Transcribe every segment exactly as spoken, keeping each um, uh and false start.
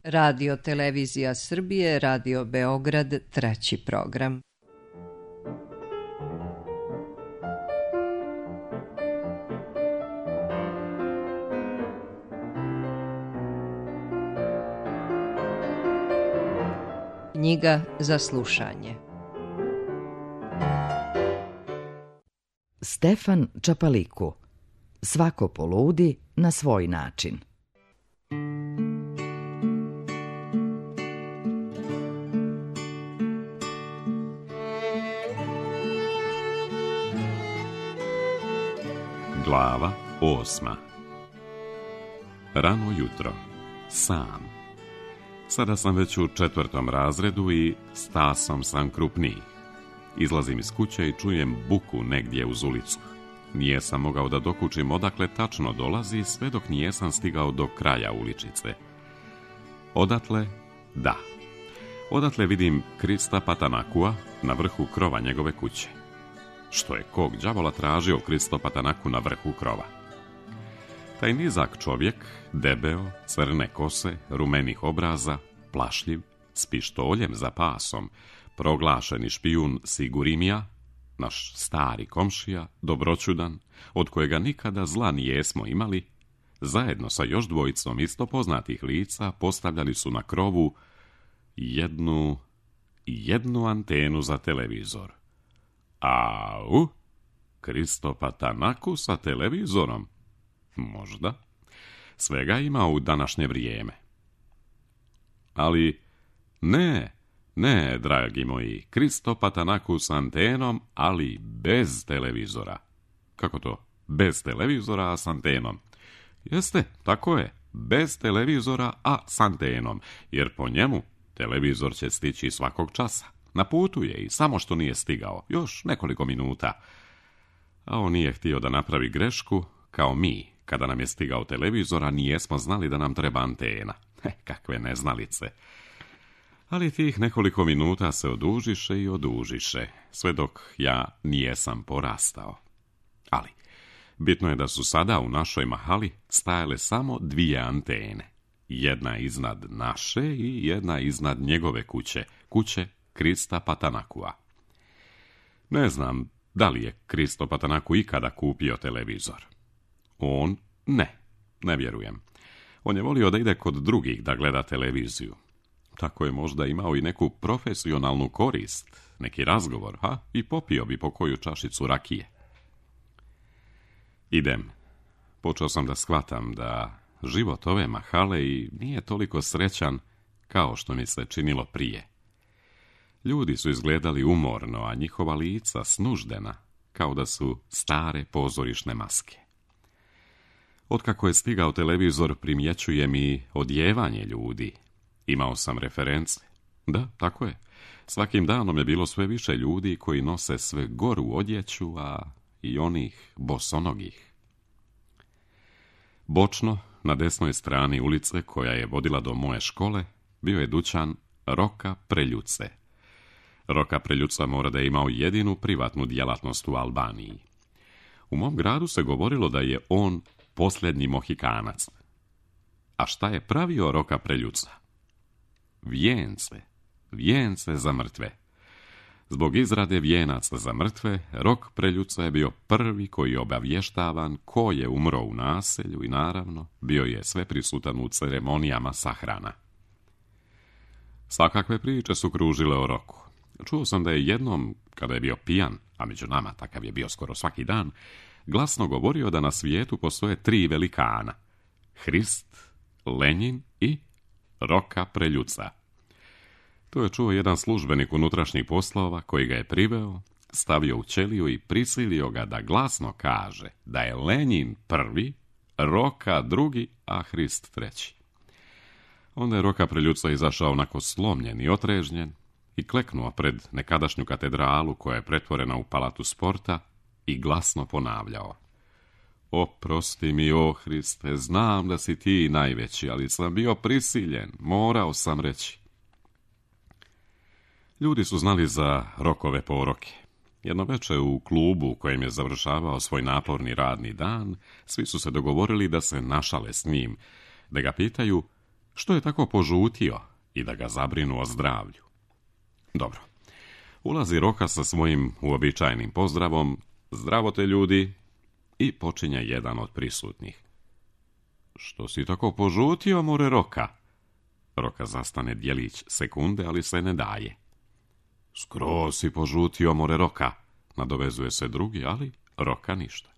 Radio Televizija Srbije, Radio Beograd, treći program. Knjiga za slušanje. Stefan Čapaliku. Svako poludi na svoj način. Glava osma. Rano jutro. Sam. Sada sam već u četvrtom razredu i stasom sam krupniji. Izlazim iz kuće i čujem buku negdje uz ulicu. Nijesam mogao da dokučim odakle tačno dolazi, sve dok nijesam stigao do kraja uličice. Odatle, da. Odatle vidim Krista Patanakua na vrhu krova njegove kuće. Što je kog đavola tražio Kristo Patanaku na vrhu krova? Taj nizak čovjek, debeo, crne kose, rumenih obraza, plašljiv, s pištoljem za pasom, proglašeni špijun Sigurimija, naš stari komšija, dobroćudan, od kojega nikada zla nijesmo imali, zajedno sa još dvojicom isto poznatih lica postavljali su na krovu jednu, jednu antenu za televizor. Au, Kristo Patanaku sa televizorom? Možda. Svega ima u današnje vrijeme. Ali ne, ne, dragi moji, Kristo Patanaku s antenom, ali bez televizora. Kako to? Bez televizora, a s antenom? Jeste, tako je, bez televizora, a s antenom, jer po njemu televizor će stići svakog časa. Na putu je i samo što nije stigao, još nekoliko minuta. A on nije htio da napravi grešku, kao mi, kada nam je stigao televizor, a nijesmo znali da nam treba antena. He, kakve neznalice. Ali tih nekoliko minuta se odužiše i odužiše, sve dok ja nijesam porastao. Ali, bitno je da su sada u našoj mahali stajale samo dvije antene. Jedna iznad naše i jedna iznad njegove kuće, kuće Krista Patanakua. Ne znam da li je Kristo Patanaku ikada kupio televizor. On ne, ne vjerujem. On je volio da ide kod drugih da gleda televiziju. Tako je možda imao i neku profesionalnu korist, neki razgovor, ha, i popio bi po koju čašicu rakije. Idem. Počeo sam da shvatam da život ove mahale i nije toliko srećan kao što mi se činilo prije. Ljudi su izgledali umorno, a njihova lica snuždena, kao da su stare pozorišne maske. Otkako je stigao televizor, primjećujem i odjevanje ljudi. Imao sam reference. Da, tako je. Svakim danom je bilo sve više ljudi koji nose sve goru odjeću, a i onih bosonogih. Bočno, na desnoj strani ulice koja je vodila do moje škole, bio je dućan Roka Preljuce. Roka Preljuca mora da je imao jedinu privatnu djelatnost u Albaniji. U mom gradu se govorilo da je on posljednji Mohikanac. A šta je pravio Roka Preljuca? Vijence, vijence za mrtve. Zbog izrade vijenaca za mrtve, Rok Preljuca je bio prvi koji je obavještavan ko je umro u naselju i naravno bio je sve prisutan u ceremonijama sahrana. Svakakve priče su kružile o Roku. Čuo sam da je jednom, kada je bio pijan, a među nama takav je bio skoro svaki dan, glasno govorio da na svijetu postoje tri velikana: Hrist, Lenjin i Roka Preljuca. To je čuo jedan službenik unutrašnjih poslova koji ga je priveo, stavio u ćeliju i prisilio ga da glasno kaže da je Lenjin prvi, Roka drugi, a Hrist treći. Onda je Roka Preljuca izašao onako slomljen i otrežnjen i kleknuo pred nekadašnju katedralu koja je pretvorena u palatu sporta i glasno ponavljao: Oprosti mi, o Hriste, znam da si ti najveći, ali sam bio prisiljen, morao sam reći. Ljudi su znali za Rokove poroke. Jedno večer u klubu u kojem je završavao svoj naporni radni dan, svi su se dogovorili da se našale s njim, da ga pitaju Što je tako požutio i da ga zabrinu o zdravlju? Dobro. Ulazi Roka sa svojim uobičajenim pozdravom, zdravo te ljudi, i počinje jedan od prisutnih. Što si tako požutio, more Roka? Roka zastane djelić sekunde, ali se ne daje. Skroz si požutio, more Roka, nadovezuje se drugi, ali Roka ništa.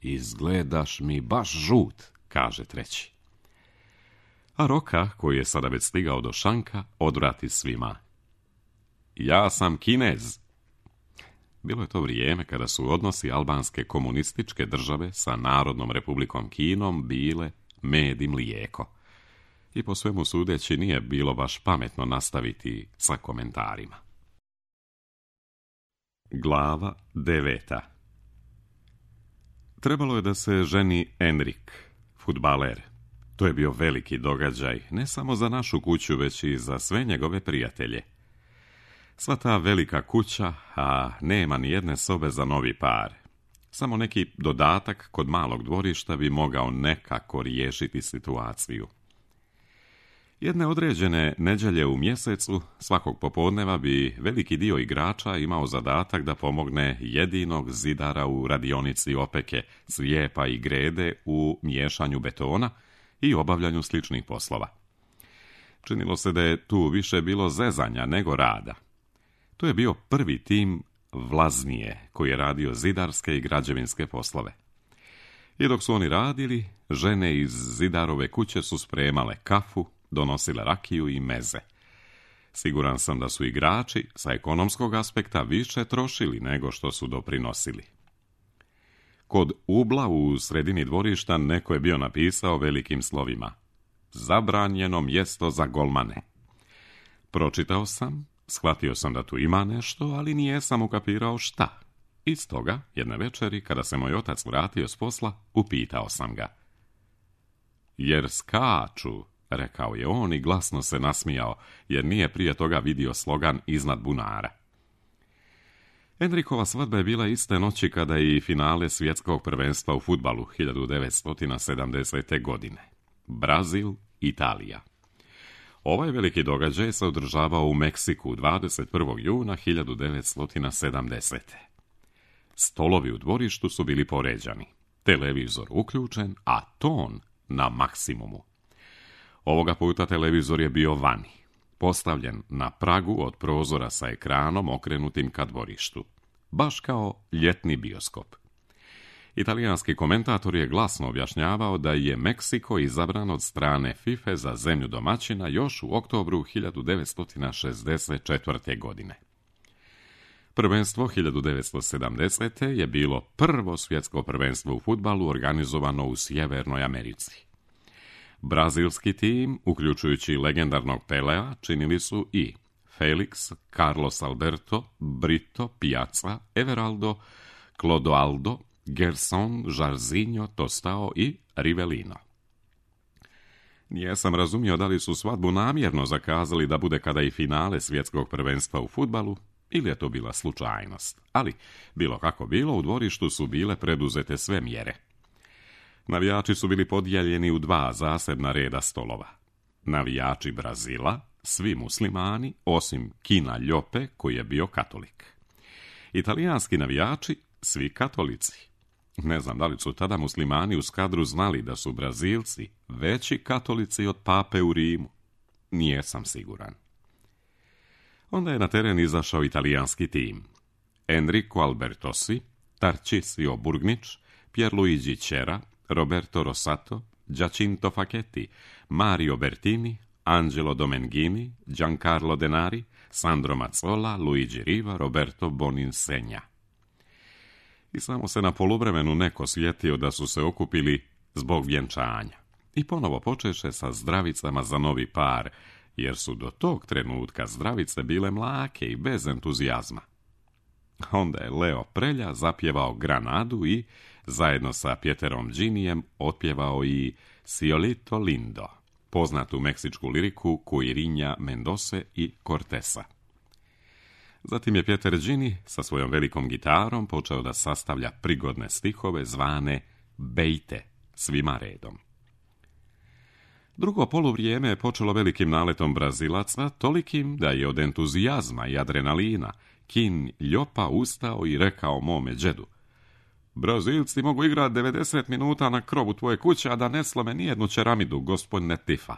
Izgledaš mi baš žut, kaže treći. A Roka, koji je sada već stigao do šanka, odvrati svima. Ja sam Kinez. Bilo je to vrijeme kada su odnosi albanske komunističke države sa Narodnom republikom Kinom bile med i mlijeko. I po svemu sudeći nije bilo baš pametno nastaviti sa komentarima. Glava deveta. Trebalo je da se ženi Enrik, fudbaler. To je bio veliki događaj, ne samo za našu kuću, već i za sve njegove prijatelje. Sva ta velika kuća, a nema ni jedne sobe za novi par. Samo neki dodatak kod malog dvorišta bi mogao nekako riješiti situaciju. Jedne određene nedjelje u mjesecu, svakog popodneva bi veliki dio igrača imao zadatak da pomogne jedinog zidara u radionici opeke, slijepa i grede u miješanju betona i obavljanju sličnih poslova. Činilo se da je tu više bilo zezanja nego rada. To je bio prvi tim Vlaznije, koji je radio zidarske i građevinske poslove. I dok su oni radili, žene iz zidarove kuće su spremale kafu, donosile rakiju i meze. Siguran sam da su igrači sa ekonomskog aspekta više trošili nego što su doprinosili. Kod ubla u sredini dvorišta neko je bio napisao velikim slovima: zabranjeno mjesto za golmane. Pročitao sam, shvatio sam da tu ima nešto, ali nijesam ukapirao šta. I stoga, jedne večeri, kada se moj otac vratio s posla, upitao sam ga. Jer skaču, rekao je on i glasno se nasmijao, jer nije prije toga vidio slogan iznad bunara. Enrikova svadba je bila iste noći kada je i finale svjetskog prvenstva u fudbalu hiljadu devetsto sedamdesete. godine. Brazil, Italija. Ovaj veliki događaj se održavao u Meksiku dvadeset prvog juna hiljadu devetsto sedamdesete. Stolovi u dvorištu su bili poređani, televizor uključen, a ton na maksimumu. Ovoga puta televizor je bio vani, postavljen na pragu od prozora sa ekranom okrenutim ka dvorištu, baš kao ljetni bioskop. Italijanski komentator je glasno objašnjavao da je Meksiko izabran od strane FIFA za zemlju domaćina još u oktobru hiljadu devetsto šezdeset četvrte. godine. Prvenstvo hiljadu devetsto sedamdesete. je bilo prvo svjetsko prvenstvo u fudbalu organizovano u Sjevernoj Americi. Brazilski tim, uključujući legendarnog Pelea, činili su i Felix, Carlos Alberto, Brito, Piazza, Everaldo, Clodoaldo, Gerson, Jairzinho, Tostao i Rivellino. Nijesam razumio da li su svadbu namjerno zakazali da bude kada i finale svjetskog prvenstva u fudbalu, ili je to bila slučajnost. Ali, bilo kako bilo, u dvorištu su bile preduzete sve mjere. Navijači su bili podijeljeni u dva zasebna reda stolova. Navijači Brazila, svi muslimani, osim Kina Ljope, koji je bio katolik. Italijanski navijači, svi katolici. Ne znam da li su tada muslimani u Skadru znali da su Brazilci veći katolici od pape u Rimu. Nijesam siguran. Onda je na teren izašao italijanski tim. Enrico Albertosi, Tarcisio Burgnić, Pierluigi Cera, Roberto Rossato, Giacinto Facchetti, Mario Bertini, Angelo Domenghini, Giancarlo Denari, Sandro Mazzola, Luigi Riva, Roberto Boninsegna. I samo se na poluvremenu neko sjetio da su se okupili zbog vjenčanja. I ponovo počeše sa zdravicama za novi par, jer su do tog trenutka zdravice bile mlake i bez entuzijazma. Onda je Leo Prelja zapjevao Granadu i, zajedno sa Pieterom Ginijem, otpjevao i Ciolito Lindo, poznatu meksičku liriku Cuirinha Mendose i Cortesa. Zatim je Pieter Gini sa svojom velikom gitarom počeo da sastavlja prigodne stihove zvane bejte, svima redom. Drugo poluvrijeme je počelo velikim naletom Brazilaca, tolikim da je od entuzijazma i adrenalina Kin Ljopa ustao i rekao mome džedu: Brazilci mogu igrati devedeset minuta na krovu tvoje kuće, a da ne slome nijednu čeramidu, gospodine Tifa.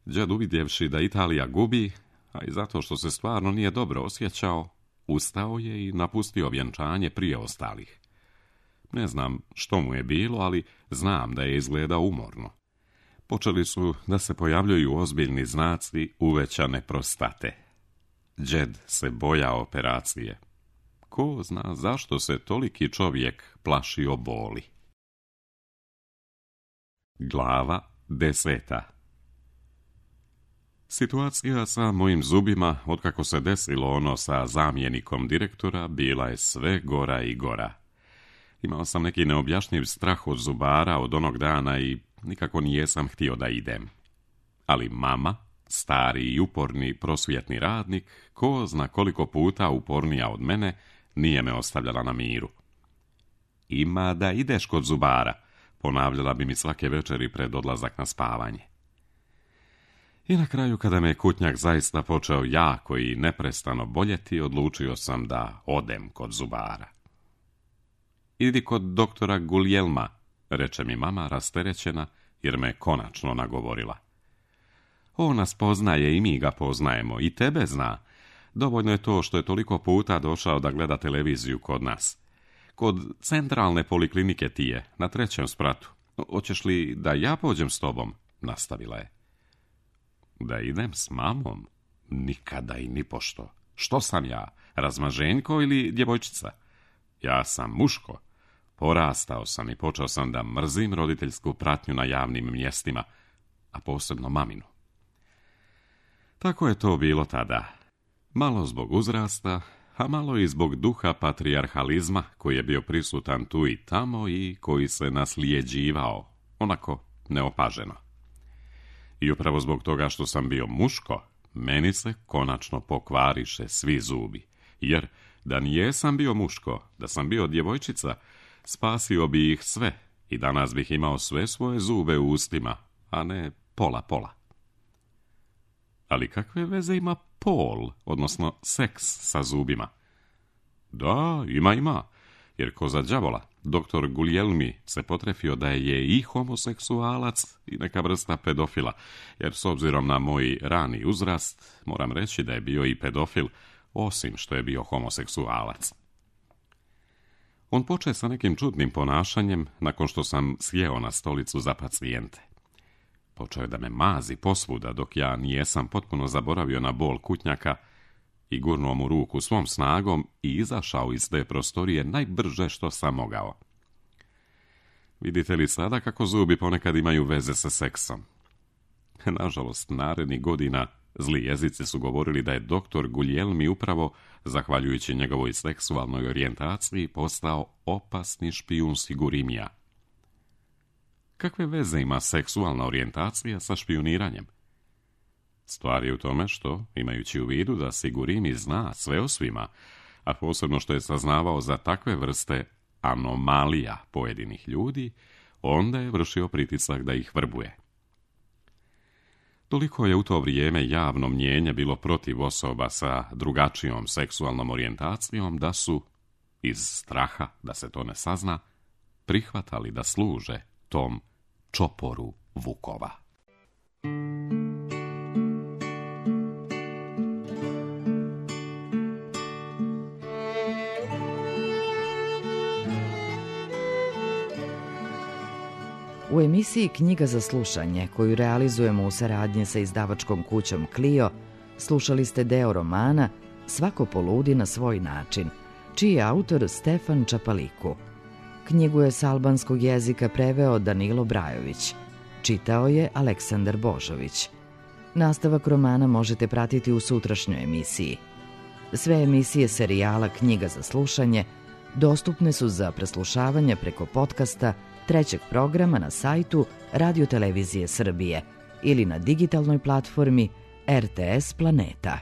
Džed, uvidjevši da Italija gubi, a i zato što se stvarno nije dobro osjećao, ustao je i napustio vjenčanje prije ostalih. Ne znam što mu je bilo, ali znam da je izgledao umorno. Počeli su da se pojavljuju ozbiljni znaci uvećane prostate. Džed se bojao operacije. Ko zna zašto se toliki čovjek plašio boli. Glava deseta. Situacija sa mojim zubima, otkako se desilo ono sa zamjenikom direktora, bila je sve gora i gora. Imao sam neki neobjašnjiv strah od zubara od onog dana i nikako nijesam htio da idem. Ali mama, stari i uporni prosvjetni radnik, ko zna koliko puta upornija od mene, nije me ostavljala na miru. Ima da ideš kod zubara, ponavljala bi mi svake večeri pred odlazak na spavanje. I na kraju, kada me kutnjak zaista počeo jako i neprestano boljeti, odlučio sam da odem kod zubara. Idi kod doktora Guljelma, reče mi mama rasterećena, jer me konačno nagovorila. On nas poznaje i mi ga poznajemo, i tebe zna. Dovoljno je to što je toliko puta došao da gleda televiziju kod nas. Kod centralne poliklinike ti je, na trećem spratu. Hoćeš li da ja pođem s tobom? Nastavila je. Da idem s mamom? Nikada i nipošto. Što sam ja, razmaženjko ili djevojčica? Ja sam muško. Porastao sam i počeo sam da mrzim roditeljsku pratnju na javnim mjestima, a posebno maminu. Tako je to bilo tada. Malo zbog uzrasta, a malo i zbog duha patrijarhalizma koji je bio prisutan tu i tamo i koji se nasljeđivao, onako neopaženo. I upravo zbog toga što sam bio muško, meni se konačno pokvariše svi zubi, jer da nijesam bio muško, da sam bio djevojčica, spasio bi ih sve i danas bih imao sve svoje zube u ustima, a ne pola-pola. Ali kakve veze ima pol, odnosno seks sa zubima? Da, ima, ima, jer ko za đavola, doktor Guljelmi se potrefio da je i homoseksualac i neka vrsta pedofila, jer s obzirom na moj rani uzrast, moram reći da je bio i pedofil, osim što je bio homoseksualac. On poče sa nekim čudnim ponašanjem nakon što sam sjeo na stolicu za pacijente. Počeo je da me mazi posvuda dok ja nijesam potpuno zaboravio na bol kutnjaka i gurnuo mu ruku svom snagom i izašao iz te prostorije najbrže što sam mogao. Vidite li sada kako zubi ponekad imaju veze sa seksom? Nažalost, narednih godina zli jezici su govorili da je doktor Guljelmi upravo, zahvaljujući njegovoj seksualnoj orijentaciji, postao opasni špijun Sigurimija. Kakve veze ima seksualna orijentacija sa špijuniranjem? Stvar je u tome što, imajući u vidu da Sigurimi zna sve o svima, a posebno što je saznavao za takve vrste anomalija pojedinih ljudi, onda je vršio pritisak da ih vrbuje. Toliko je u to vrijeme javno mnijenje bilo protiv osoba sa drugačijom seksualnom orijentacijom da su, iz straha da se to ne sazna, prihvatali da služe tom čoporu vukova. U emisiji Knjiga za slušanje, koju realizujemo u saradnji sa izdavačkom kućom Clio, slušali ste deo romana Svako poludi na svoj način, čiji je autor Stefan Čapaliku. Knjigu je s albanskog jezika preveo Danilo Brajović. Čitao je Aleksandar Božović. Nastavak romana možete pratiti u sutrašnjoj emisiji. Sve emisije serijala Knjiga za slušanje dostupne su za preslušavanje preko podcasta trećeg programa na sajtu Radio Televizije Srbije ili na digitalnoj platformi R T S Planeta.